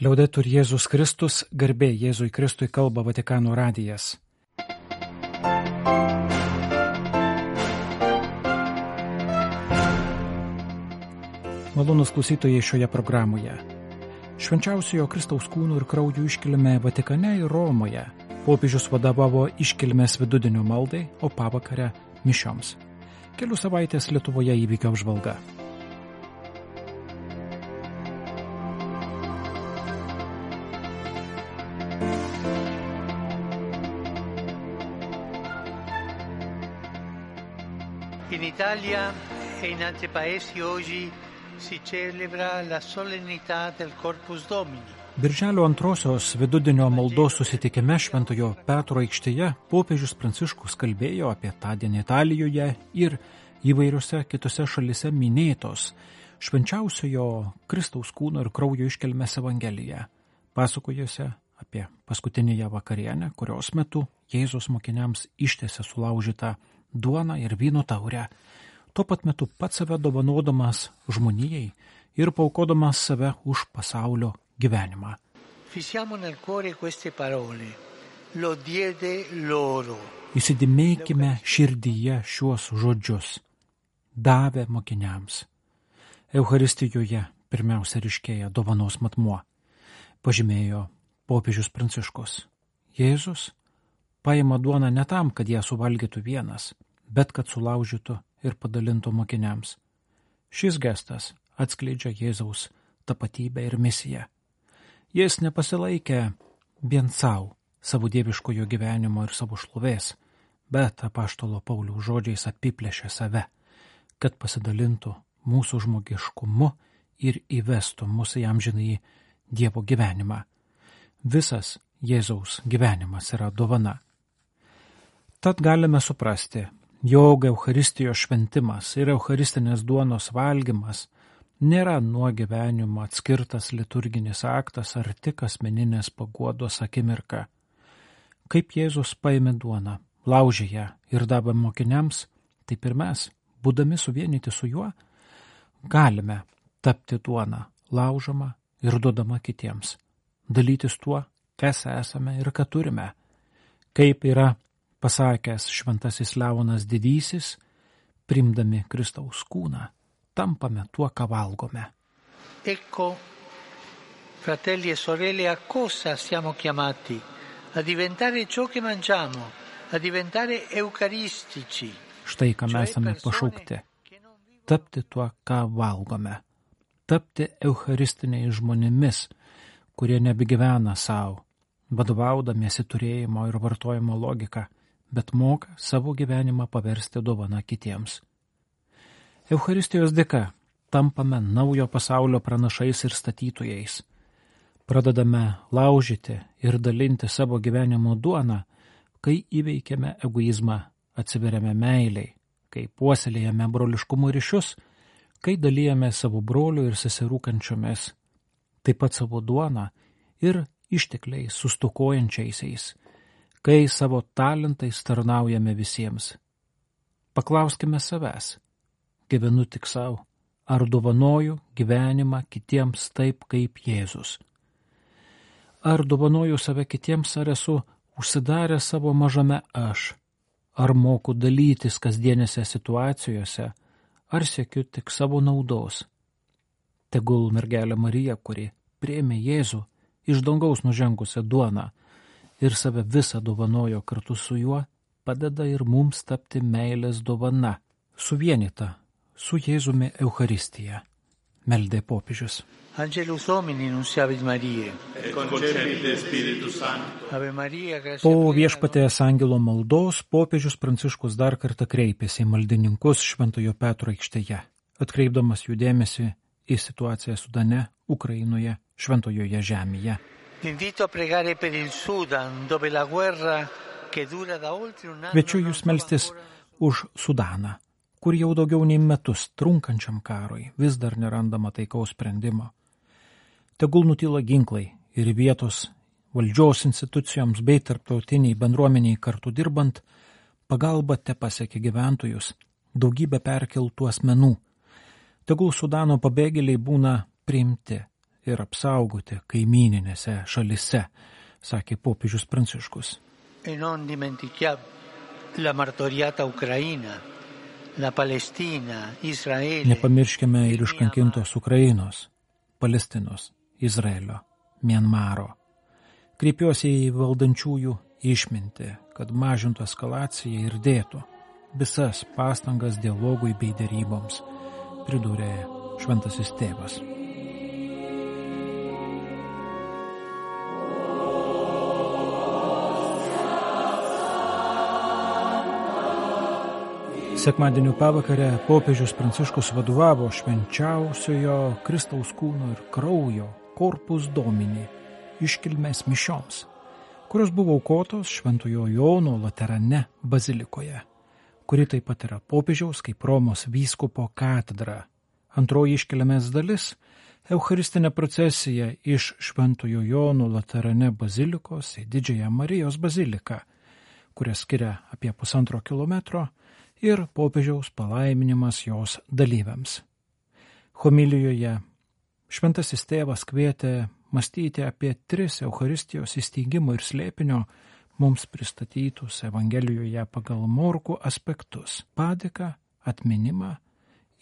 Liaudetur Jėzus Kristus, garbė Jėzui Kristui, kalba Vatikano radijas. Malonūs klausytojai šioje programoje. Švenčiausiojo Kristaus kūnų ir kraujų iškilmė Vatikane ir Romoje. Popiežius vadovavo iškilmės vidudienio maldai, o pavakare mišioms. Kelių savaitės Lietuvoje įvykio apžvalga. In Italia e in altri paesi oggi si celebra la solennità del Corpus Domini. Birželio 2 vidudienio maldos susitikime Šventojo Petro aikštėje popiežius Pranciškus kalbėjo apie tądien Italijoje ir įvairiose kitose šalise minėtos švenčiausiojo Kristaus kūno ir kraujo iškilmės Evangeliją, pasakojuose apie paskutinėje vakarienę, kurios metu Jėzus mokiniams ištiesė sulaužytą duoną ir vyno taurę, tuo pat metu pats save dovanodamas žmonijai ir paaukodamas save už pasaulio gyvenimą. Fissiamo nel cuore queste parole. Lo diede loro. Įsidėmėkime širdyje šiuos žodžius. Davė mokiniams. Eucharistijoje pirmiausia ryškėja dovanos matmuo, pažymėjo popiežius Pranciškus. Jėzus paima duoną ne tam, kad ją suvalgytų vienas, bet kad sulaužytų ir padalintų mokiniams. Šis gestas atskleidžia Jėzaus tapatybę ir misiją. Jis nepasilaikė vien savo dieviškojo gyvenimo ir savo šlovės, bet apaštalo Pauliaus žodžiais apiplėšė save, kad pasidalintų mūsų žmogiškumu ir įvestų mus į amžinąjį Dievo gyvenimą. Visas Jėzaus gyvenimas yra dovana. Tad galime suprasti, jog Eucharistijos šventimas ir eucharistinės duonos valgymas nėra nuo gyvenimo atskirtas liturginis aktas ar tik asmeninės paguodos akimirka. Kaip Jėzus paėmė duoną, laužė ją ir davė mokiniams, taip ir mes, būdami suvienyti su juo, galime tapti duoną, laužama ir duodama kitiems, dalytis tuo, kas esame ir ką turime. Kaip yra pasakęs šventasis Leonas Didysis, priimdami Kristaus kūną, tampame tuo, ką valgome. Ecco, fratelli e sorelle, a cosa siamo chiamati? A diventare ciò che mangiamo, a diventare eucaristici. Štai, ką mes esame pašaukti. Tapti tuo, ką valgome. Tapti eucharistiniais žmonėmis, kurie nebegyvena savo, vadovaudamiesi turėjimo ir vartojimo logika, bet moka savo gyvenimą paversti dovaną kitiems. Eucharistijos dėka tampame naujo pasaulio pranašais ir statytojais. Pradedame laužyti ir dalinti savo gyvenimo duoną, kai įveikiame egoizmą, atsiveriame meiliai, kai puoselėjame broliškumo ryšius, kai dalijame savo brolių ir seserų kančiomis, taip pat savo duoną ir ištekliais sustokojančiaisiais, kai savo talentais tarnaujame visiems. Paklauskime savęs, gyvenu tik savo, ar dovanoju gyvenimą kitiems taip kaip Jėzus? Ar dovanoju save kitiems, ar esu užsidaręs savo mažame aš? Ar moku dalytis kasdienėse situacijose, ar siekiu tik savo naudos? Tegul mergelė Marija, kuri priėmė Jėzų iš dangaus nužengusią duoną ir save visą dovanojo kartu su juo, padeda ir mums tapti meilės dovana, suvienyta su Jėzumi Eucharistija, meldė popiežius. Angelus Domini nunciavit Mariae. Et concepite Spiritus Sancto. Ave Maria, gratia Po plena. viešpaties angelo maldos popiežius Pranciškus dar kartą kreipėsi į maldininkus Šventojo Petro aikštėje, atkreipdamas jų dėmesį į situaciją Sudane, Ukrainoje, Šventojoje žemėje. Invito a pregare per il Sudan, dove la guerra che dura da oltre un anno. Kviečiu jūs melstis už Sudaną, kur jau daugiau nei metus trunkančiam karui vis dar nerandama taikaus sprendimo. Tegul nutyla ginklai ir vietos valdžios institucijoms bei tarptautiniai bendruomeniai kartu dirbant, pagalba tepasiekia gyventojus, daugybę perkeltų asmenų. Tegul Sudano pabėgėliai būna priimti ir apsaugoti kaimyninėse šalise, sakė popiežius Pranciškus. E non dimentichiamo la martoriata Ucraina, la Palestina, Izraelė. Nepamirškime ir iškankintos Ukrainos, Palestinos, Izraelio, Mianmaro. Kreipiuosi į valdančiųjų išmintį, kad mažintų eskalaciją ir dėtų visas pastangas dialogui bei deryboms, pridūrė Šventasis Tėvas. Sekmadienio pavakarę popiežius Pranciškus vadovavo švenčiausiojo Kristaus kūno ir kraujo Corpus Domini iškilmės mišioms, kurios buvo aukotos Šventojo Jono Laterane bazilikoje, kuri taip pat yra popiežiaus kaip Romos vyskupo katedra. Antroji iškilmės dalis – eucharistinė procesija iš Šventojo Jono Laterane bazilikos į Didžiąją Marijos baziliką, kurią skiria apie 1,5 kilometro, ir popiežiaus palaiminimas jos dalyviams. Homilijoje Šventasis Tėvas kvietė mąstyti apie 3 Eucharistijos įsteigimo ir slėpinio mums pristatytus Evangelijoje pagal Morkų aspektus – padėką, atminimą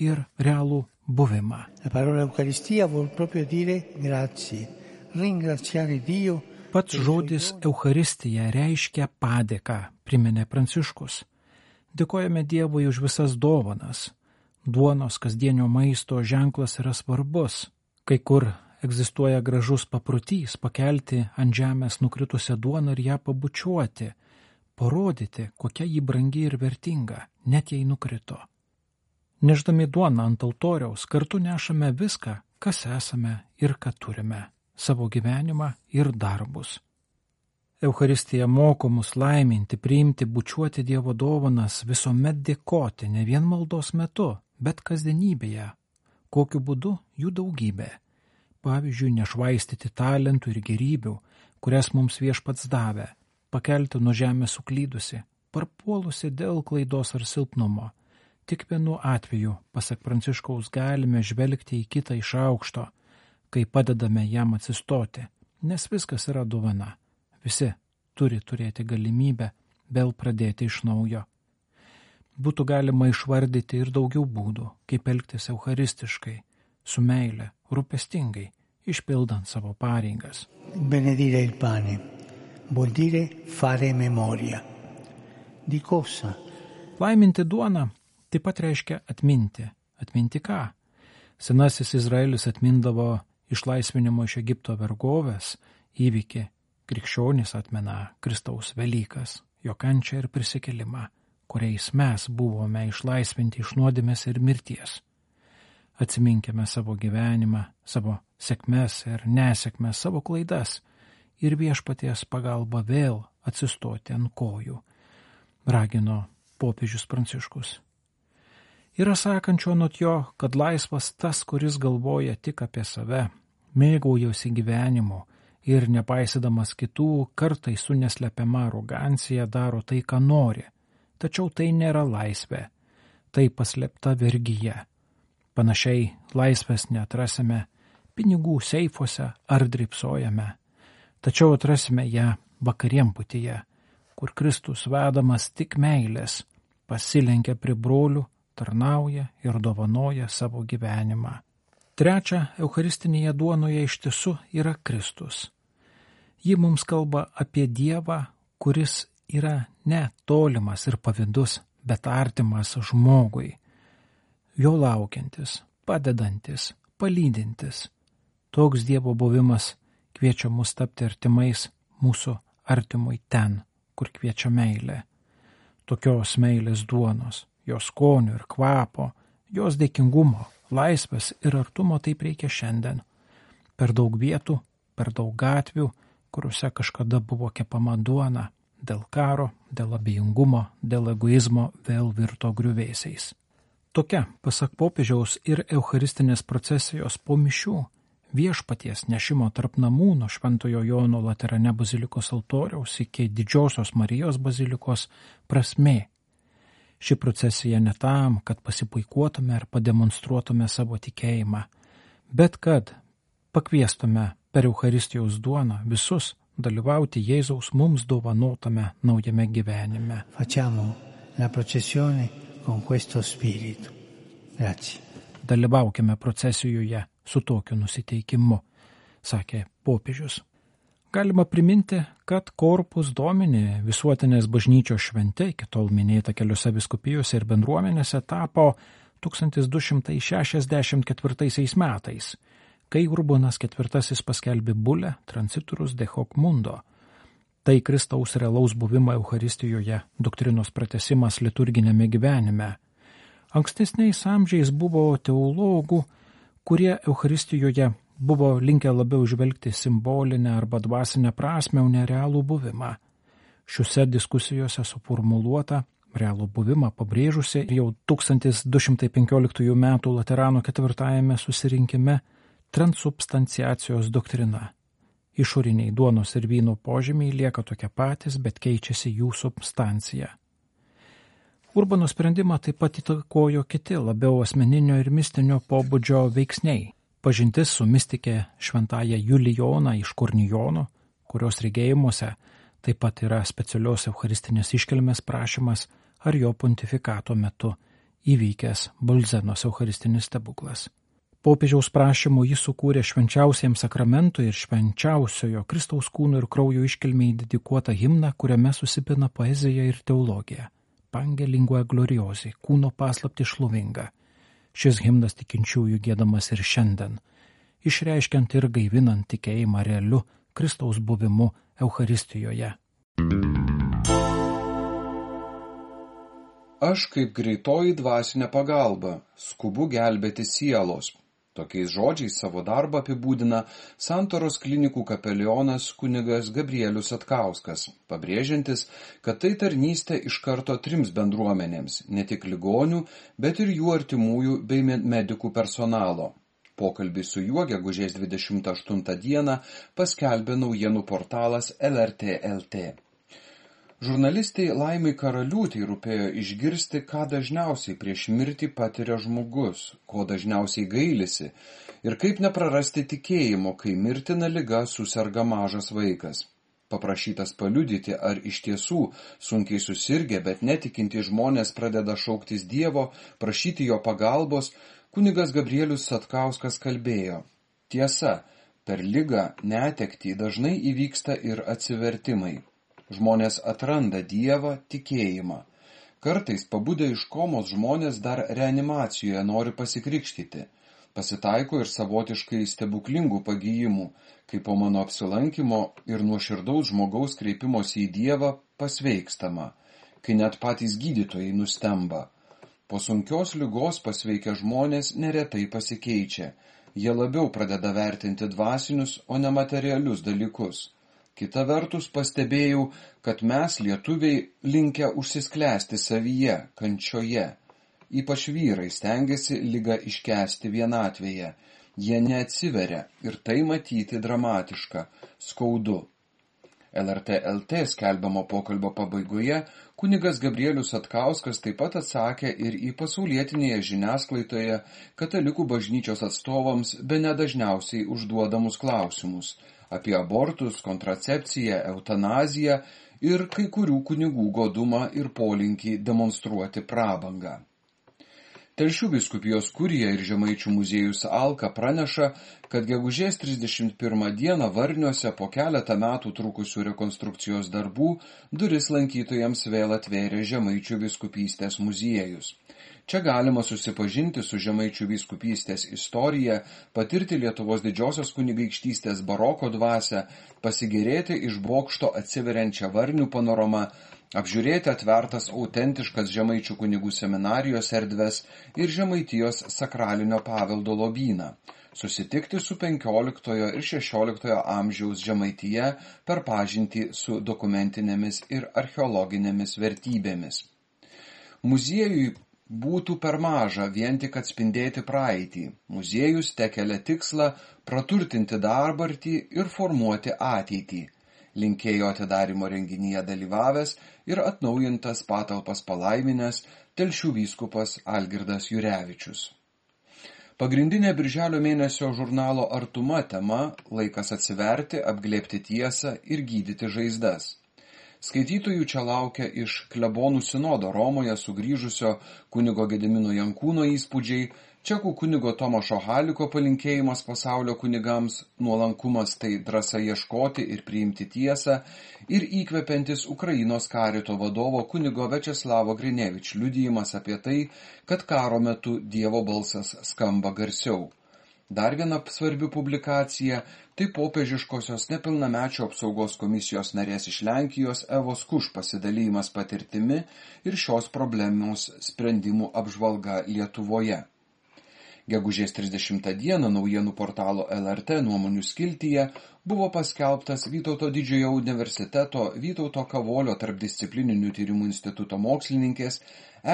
ir realų buvimą. La parola Eucaristija vuol proprio dire grazie, ringraziare Dio. Pats žodis Eucharistija reiškia padėką, priminė Pranciškus. Dėkojame Dievui už visas dovanas. Duonos kasdienio maisto ženklas yra svarbus. Kai kur egzistuoja gražus paprotys pakelti ant žemės nukritusią duoną ir ją pabučiuoti, parodyti, kokia ji brangi ir vertinga, net jei nukrito. Neždami duoną ant altoriaus kartu nešame viską, kas esame ir ką turime, savo gyvenimą ir darbus. Eucharistija moko mus laiminti, priimti, bučiuoti Dievo dovanas, visuomet dėkoti, ne vien maldos metu, bet kasdienybėje. Kokiu būdu? Jų daugybė. Pavyzdžiui, nešvaistyti talentų ir gerybių, kurias mums Viešpats davė, pakelti nuo žemės suklydusi, parpuolusi dėl klaidos ar silpnumo. Tik vienu atveju, pasak Pranciškaus, galime žvelgti į kitą iš aukšto, kai padedame jam atsistoti, nes viskas yra dovana. Visi turi turėti galimybę vėl pradėti iš naujo. Būtų galima išvardyti ir daugiau būdų, kaip elgtis eucharistiškai, su meile, rūpestingai, išpildant savo pareigas. Benedire il pane vuol dire fare memoria. Di cosa? Laiminti duoną taip pat reiškia atminti. Atminti ką? Senasis Izraelis atmindavo išlaisvinimo iš Egipto vergovės įvykį. Krikščionys atmena Kristaus Velykas, jo kančią ir prisikėlimą, kuriais mes buvome išlaisvinti iš nuodėmės ir mirties. Atsiminkime savo gyvenimą, savo sėkmes ir nesėkmes, savo klaidas ir Viešpaties pagalba vėl atsistoti ant kojų, ragino popiežius Pranciškus. Yra sakančio anot jo, kad laisvas tas, kuris galvoja tik apie save, mėgaujasi gyvenimu, ir nepaisydamas kitų, kartai su neslepiama arogancija daro tai, ką nori. Tačiau tai nėra laisvė, tai paslėpta vergyje. Panašiai laisvės neatrasime pinigų seifuose ar drybsojame, tačiau atrasime ją vakarienputyje, kur Kristus vedamas tik meilės, pasilenkia prie brolių, tarnauja ir dovanoja savo gyvenimą. Trečia, eucharistinėje duonoje iš tiesų yra Kristus. Ji mums kalba apie Dievą, kuris yra ne tolimas ir pavydus, bet artimas žmogui, jo laukiantis, padedantis, palydintis. Toks Dievo buvimas kviečia mus tapti artimais mūsų artimui ten, kur kviečia meilė. Tokios meilės duonos, jos skonio ir kvapo, jos dėkingumo, laisvės ir artumo taip reikia šiandien. Per daug vietų, per daug gatvių, kuriuose kažkada buvo kepama duona, dėl karo, dėl abejingumo, dėl egoizmo vėl virto griuvėsiais. Tokia, pasak popiežiaus, ir eucharistinės procesijos po mišių, Viešpaties nešimo tarp namų nuo Šventojo Jono Laterane bazilikos altoriaus iki Didžiosios Marijos bazilikos prasmė. Ši procesija ne tam, kad pasipuikuotume ar pademonstruotume savo tikėjimą, bet kad pakviestume per Eucharistijos duoną visus dalyvauti Jėzaus mums dovanotame naujame gyvenime. Facciamo la processione con questo spirito. Grazie. Dalyvaukime procesijoje su tokiu nusiteikimu, sakė popiežius. Galima priminti, kad Corpus Domini visuotinės bažnyčios šventė, iki tol minėta keliose vyskupijose ir bendruomenėse, tapo 1264 metais, kai Urbonas IV paskelbė bulę Transiturus de hoc mundo. Tai Kristaus realaus buvimo Eucharistijoje doktrinos pratęsimas liturginėme gyvenime. Ankstesniais amžiais buvo teologų, kurie Eucharistijoje buvo linkę labiau žvelgti simbolinę arba dvasinę prasmę, o ne realų buvimą. Šiuose diskusijose suformuluota realų buvimą pabrėžusi jau 1215 metų Laterano 4 susirinkime transubstanciacijos doktrina. Išoriniai duonos ir vyno požymiai lieka tokie patys, bet keičiasi jų substancija. Urbano sprendimą taip pat įtakojo kiti labiau asmeninio ir mistinio pobūdžio veiksniai. Pažintis su mistikė šventąja Julijona iš Kornijono, kurios regėjimuose taip pat yra specialios eucharistinės iškilmės prašymas ar jo pontifikato metu įvykęs Bolzenos eucharistinis stebuklas. Popiežiaus prašymu jis sukūrė švenčiausiems sakramentui ir švenčiausiojo Kristaus kūno ir kraujo iškilmei dedikuotą himną, kuriame susipina poezija ir teologija. Pange lingua gloriosi, kūno paslapti šlovinga. Šis himnas tikinčiųjų giedamas ir šiandien, išreiškiant ir gaivinant tikėjimą realiu Kristaus buvimu Eucharistijoje. Aš kaip greitoji dvasinė pagalba, skubu gelbėti sielos. Tokiais žodžiais savo darbą apibūdina Santaros klinikų kapelionas kunigas Gabrielius Satkauskas, pabrėžiantis, kad tai tarnystė iš karto 3 bendruomenėms, ne tik ligonių, bet ir jų artimųjų bei medikų personalo. Pokalbį su juo gegužės 28 dieną paskelbė naujienų portalas LRT LT. Žurnalistei Laimai Karaliūtei rūpėjo išgirsti, ką dažniausiai prieš mirtį patiria žmogus, ko dažniausiai gailisi ir kaip neprarasti tikėjimo, kai mirtina liga suserga mažas vaikas. Paprašytas paliudyti, ar iš tiesų sunkiai susirgę, bet netikinti žmonės pradeda šauktis Dievo, prašyti jo pagalbos, kunigas Gabrielius Satkauskas kalbėjo. Tiesa, per ligą, netektį dažnai įvyksta ir atsivertimai. Žmonės atranda Dievą, tikėjimą. Kartais pabudę iš komos žmonės dar reanimacijoje nori pasikrikštyti. Pasitaiko ir savotiškai stebuklingų pagijimų, kai po mano apsilankymo ir nuoširdaus žmogaus kreipimosi į Dievą pasveikstama, kai net patys gydytojai nustemba. Po sunkios ligos pasveikę žmonės neretai pasikeičia. Jie labiau pradeda vertinti dvasinius, o ne materialius dalykus. Kita vertus pastebėjau, kad mes, lietuviai, linkę užsisklęsti savyje, kančioje. Ypač vyrai stengiasi ligą iškęsti vienatvėje. Jie neatsiveria ir tai matyti dramatiška, skaudu. LRT LT skelbiamo pokalbio pabaigoje kunigas Gabrielius Satkauskas taip pat atsakė ir į pasaulietinėje žiniasklaidoje katalikų bažnyčios atstovams bene dažniausiai užduodamus klausimus apie abortus, kontracepciją, eutanaziją ir kai kurių kunigų godumą ir polinkį demonstruoti prabangą. Telšių vyskupijos kurija ir Žemaičių muziejus Alka praneša, kad gegužės 31 dieną Varniuose po keletą metų trukusių rekonstrukcijos darbų duris lankytojams vėl atvėrė Žemaičių vyskupystės muziejus. Čia galima susipažinti su Žemaičių vyskupystės istorija, patirti Lietuvos didžiosios kunigaikštystės baroko dvasią, pasigėrėti iš bokšto atsiveriančią Varnių panoramą, apžiūrėti atvertas autentiškas Žemaičių kunigų seminarijos erdves ir Žemaitijos sakralinio paveldo lobyną, susitikti su 15 ir 16 amžiaus Žemaitija per pažintį su dokumentinėmis ir archeologinėmis vertybėmis. Muziejui būtų per maža vien tik atspindėti praeitį. Muziejus tekelia tikslą praturtinti dabartį ir formuoti ateitį. Linkėjo atidarymo renginyje dalyvavęs ir atnaujintas patalpas palaiminęs Telšių vyskupas Algirdas Jurevičius. Pagrindinė birželio mėnesio žurnalo Artuma tema – laikas atsiverti, apglėbti tiesą ir gydyti žaizdas. Skaitytojų čia laukia iš klebonų sinodo Romoje sugrįžusio kunigo Gedimino Jankūno įspūdžiai, čekų kunigo Tomašo Haliko palinkėjimas pasaulio kunigams, nuolankumas tai drąsa ieškoti ir priimti tiesą ir įkvepiantis Ukrainos karito vadovo kunigo Večeslavo Grinevič liudijimas apie tai, kad karo metu Dievo balsas skamba garsiau. Dar viena svarbi publikacija – tai popiežiškosios nepilnamečių apsaugos komisijos narės iš Lenkijos Evos Kuš pasidalymas patirtimi ir šios problemos sprendimų apžvalga Lietuvoje. Gegužės 30 dieną naujienų portalo LRT nuomonių skiltyje buvo paskelbtas Vytauto Didžiojo universiteto Vytauto Kavolio tarpdisciplininių tyrimų instituto mokslininkės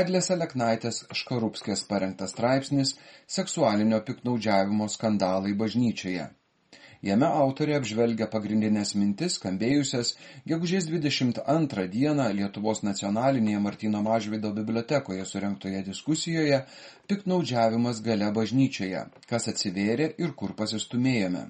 Eglės Aleknaitės Škarupskės parengtas straipsnis Seksualinio piktnaudžiavimo skandalai bažnyčioje. Jame autorė apžvelgia pagrindinės mintis, skambėjusias gegužės 22 dieną Lietuvos nacionalinėje Martyno Mažvydo bibliotekoje surengtoje diskusijoje Piktnaudžiavimas galia bažnyčioje, kas atsivėrė ir kur pasistumėjome.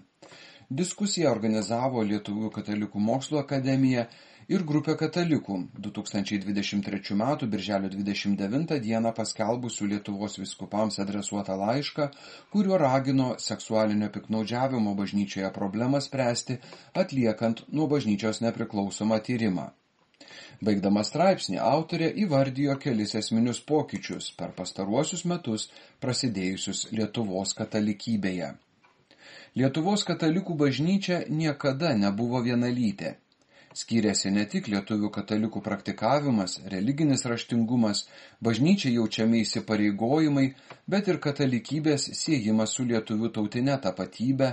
Diskusiją organizavo Lietuvių katalikų mokslo akademija ir grupė katalikų 2023 m. birželio 29 dieną paskelbusių Lietuvos vyskupams adresuotą laišką, kuriuo ragino seksualinio piktnaudžiavimo bažnyčioje problemą spręsti, atliekant nuo bažnyčios nepriklausomą tyrimą. Baigdama straipsnį, autorė įvardijo kelis esminius pokyčius per pastaruosius metus prasidėjusius Lietuvos katalikybėje. Lietuvos katalikų bažnyčia niekada nebuvo vienalytė. Skyrėsi ne tik lietuvių katalikų praktikavimas, religinis raštingumas, bažnyčiai jaučiami įsipareigojimai, bet ir katalikybės siejimas su lietuvių tautinė tapatybė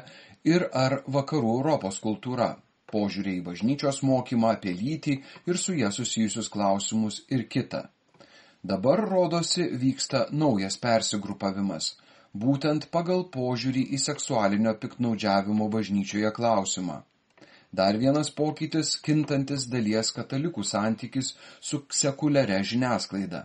ir ar vakarų Europos kultūra, požiūrė į bažnyčios mokymą apie lytį ir su ją susijusius klausimus ir kita. Dabar, rodosi, vyksta naujas persigrupavimas, būtent pagal požiūrį į seksualinio piktnaudžiavimo bažnyčioje klausimą. Dar vienas pokytis – kintantis dalies katalikų santykis su sekuliaria žiniasklaida.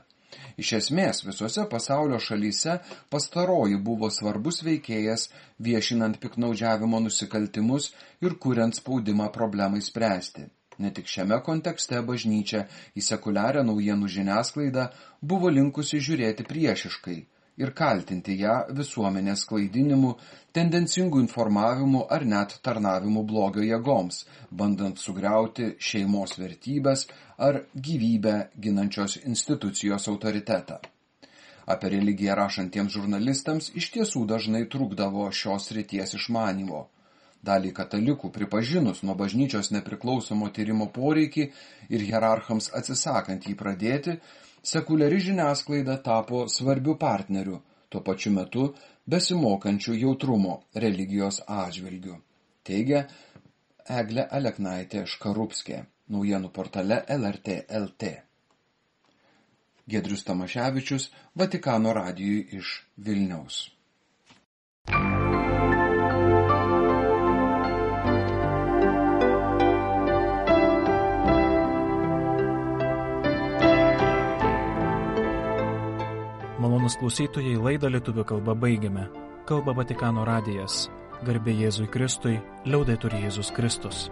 Iš esmės, visose pasaulio šalyse pastaroji buvo svarbus veikėjas viešinant piktnaudžiavimo nusikaltimus ir kuriant spaudimą problemai spręsti. Ne tik šiame kontekste bažnyčia į sekuliarią naujienų žiniasklaidą buvo linkusi žiūrėti priešiškai ir kaltinti ją visuomenės klaidinimu, tendencingų informavimu ar net tarnavimu blogio jėgoms, bandant sugriauti šeimos vertybės ar gyvybę ginančios institucijos autoritetą. Apie religiją rašantiems žurnalistams iš tiesų dažnai trukdavo šios srities išmanymo. Dalį katalikų pripažinus nuo bažnyčios nepriklausomo tyrimo poreikį ir hierarchams atsisakant jį pradėti, sekuliari žiniasklaida tapo svarbiu partneriu, tuo pačiu metu besimokančių jautrumo religijos atžvilgiu, teigia Eglė Aleknaitė Škarupskė, naujienų portale LRT LT. Giedrius Tamaševičius, Vatikano radijui iš Vilniaus. Malonūs klausytojai, laidą lietuvių kalba baigiame. Kalba Vatikano radijas. Garbė Jėzui Kristui, liaudetur Jėzus Kristus.